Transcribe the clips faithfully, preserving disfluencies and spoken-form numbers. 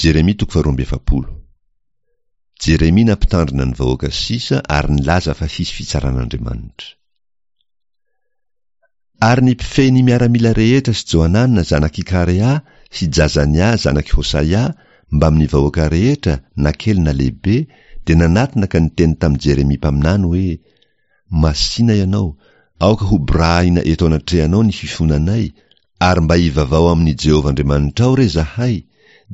Jeremia toko faharoa amby efapolo. Jeremia nampitandrina ny vahoaka sisa ary nilaza fa hisy fitsaran'Andriamanitra. Ary ny mpifehy ny miaramila rehetra sy Johanana zanak'i Karea sy Jazania zanak'i Hosaia mbamin'ny vahoaka rehetra na kely na lehibe dia nanatona ka niteny tamin'i Jeremia mpaminany hoe: Masina ianao, aoka hoborahina eto anatrehanao ny fifonanay, ary mba hivavaho amin'i Jehovah Andriamanitrao re izahay,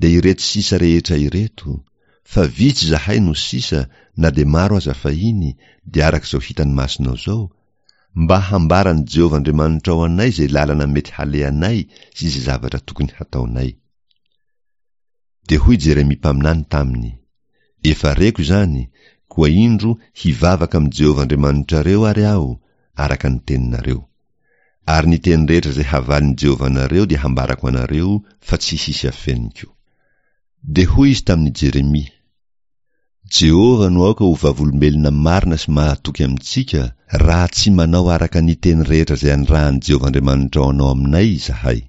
dia ireto sisa rehetra ireto, fa vitsy izahay no sisa na dia maro aza fahiny, dia araka izao hitan'ny masonao izao, mba hambaran'i Jehovah Andriamanitrao anay izay lalana mety halehanay sy izay zavatra tokony hataonay. Dia hoy Jeremia mpaminany taminy: Efa reko izany, koa indro hivavaka amin'i Jehovah Andriamanitrareo ary aho, araka ny teninareo. Ary ny teny rehetra izay havalin'i Jehovah anareo dia hambarako anareo fa tsy hisy afeniko. Dia hoy izy tamin'i Jeremia: Jehovah no aoka ho vavolombelona marina sy mahatoky amintsika, raha tsy manao araka ny teny rehetra izay anirahan'i Jehovah Andriamanitrao anao aminay izahay.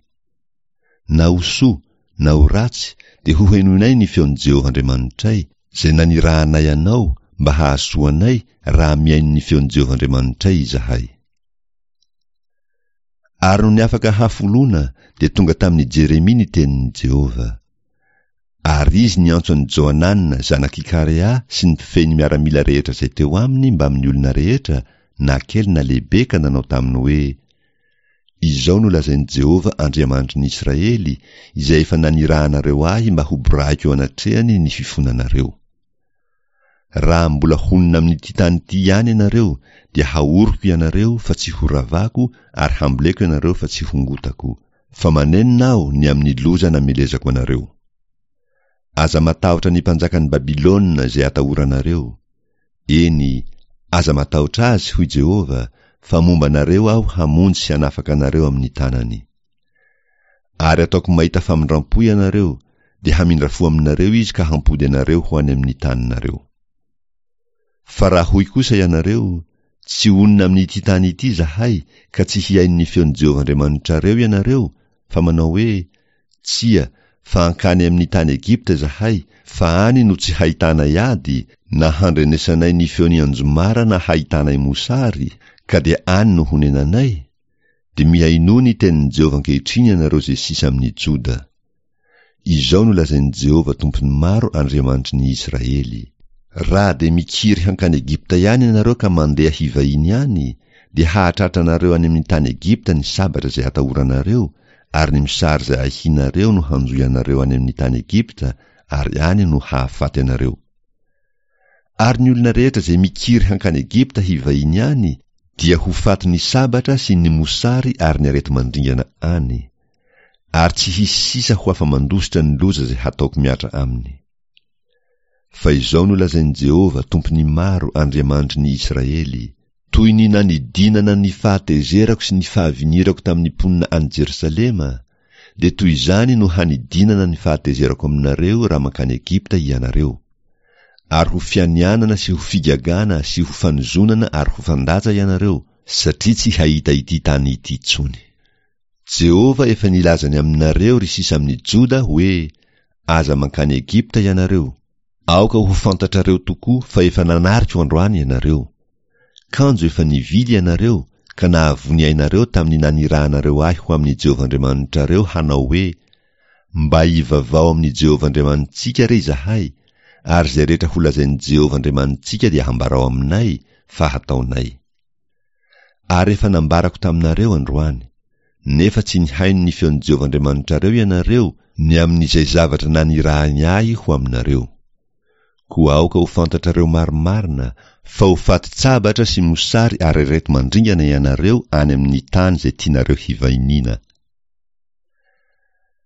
Na ho soa na ho ratsy dia hohenoinay ny feon'i Jehovah Andriamanitray, izay nanirahanay anao mba hahasoa anay raha mihaino ny feon'i Jehovah Andriamanitray izahay. Ary nony afaka hafoloana dia tonga tamin'i Jeremia ny tenin'i Jehovah. Ary izy niantso an'i Johanana zanak'i Karea sy ny mpifehy ny miaramila rehetra izay teo aminy mbamin'ny olona rehetra, na kely na lehibe, ka nanao taminy hoe: Izao no lazain'i Jehovah Andriamanitry ny Israely, izay efa nanirahanareo ahy mba hoborahiko eo anatrehany ny fifonanareo. Raha mbola honina amin'ity tany ity ihany ianareo, dia haoriko ianareo fa tsy horavako ary hamboleko ianareo fa tsy hongotako, fa manenina aho ny amin'ny loza namelezako anareo. Aza matahotra ny mpanjakan'i Babylona izay atahoranareo. Eny, aza matahotra azy, hoy Jehovah, fa momba anareo aho hamonjy sy hanafaka anareo amin'ny tanany. Ary ataoko mahita famindram-po ianareo, dia hamindra fo aminareo izy ka hampody anareo ho any amin'ny taninareo. Fa raha hoy kosa ianareo, Tsy honina amin'ity tany ity izahay, ka tsy hihaino ny feon'i Jehovah Andriamanitrareo ianareo, fa manao hoe, Tsia, fa hankany amin'ny tany Egypta izahay, fa any no tsy hahitanay ady, na handrenesanay ny feon'ny anjomara na hahitanay mosary, ka dia any no honenanay, dia mihainoa ny tenin'i Jehovah ankehitriny ianareo izay sisa amin'ny Joda. Izao no lazain'i Jehovah Tompon'ny maro Andriamanitry ny Israely, Raha dia mikiry hankany Egypta ihany ianareo ka mandeha hivahiny any, dia hahatratra anareo any amin'ny tany Egypta ny sabatra izay atahoranareo, ary ny mosary izay ahianareo no hanjohy anareo any amin'ny tany Egypta, ary any no hahafaty anareo. Ary ny olona rehetra izay mikiry hankany Egypta hivahiny any dia ho fatin'ny sabatra sy ny mosary ary ny areti-mandringana any. Ary tsy hisy sisa ho afa-mandositra ny loza izay hataoko mihatra aminy. Fa izao no lazain'i Jehovah, Tompon'ny maro, Andriamanitry ny Israely, Toy ny nanidinana ny fahatezerako sy ny fahavinirako tamin'ny mponina any Jerosalema, dia toy izany no hanidinana ny fahatezerako aminareo raha mankany Egypta hianareo. Ary ho fianianana sy ho figagana sy ho fanozonana ary ho fandatsa ianareo, satria tsy hahita ity tany ity intsony. Jehovah efa nilaza ny aminareo, ry sisa amin'ny Joda, hoe, Aza mankany Egypta ianareo. Aoka ho fantatrareo tokoa fa efa nanariko androany ianareo. Kanjo efa nivily ianareo, ka nahavoa ny ainareo tamin'ny nanirahanareo ahy ho amin'i Jehovah Andriamanitrareo hanao hoe, Mba hivavaho amin'i Jehovah Andriamanitsika re izahay, ary izay rehetra holazain'i Jehovah Andriamanitsika dia hambarao aminay, fa hataonay. Ary efa nambarako taminareo androany. Nefa tsy nihaino ny feon'i Jehovah Andriamanitrareo ianareo ny amin'izay zavatra nanirahany ahy ho aminareo. Koa aoka ho fantatrareo marimarina fa ho fatin-tsabatra sy mosary ary areti-mandringana ianareo any amin'ny tany izay tianareo hivahiniana.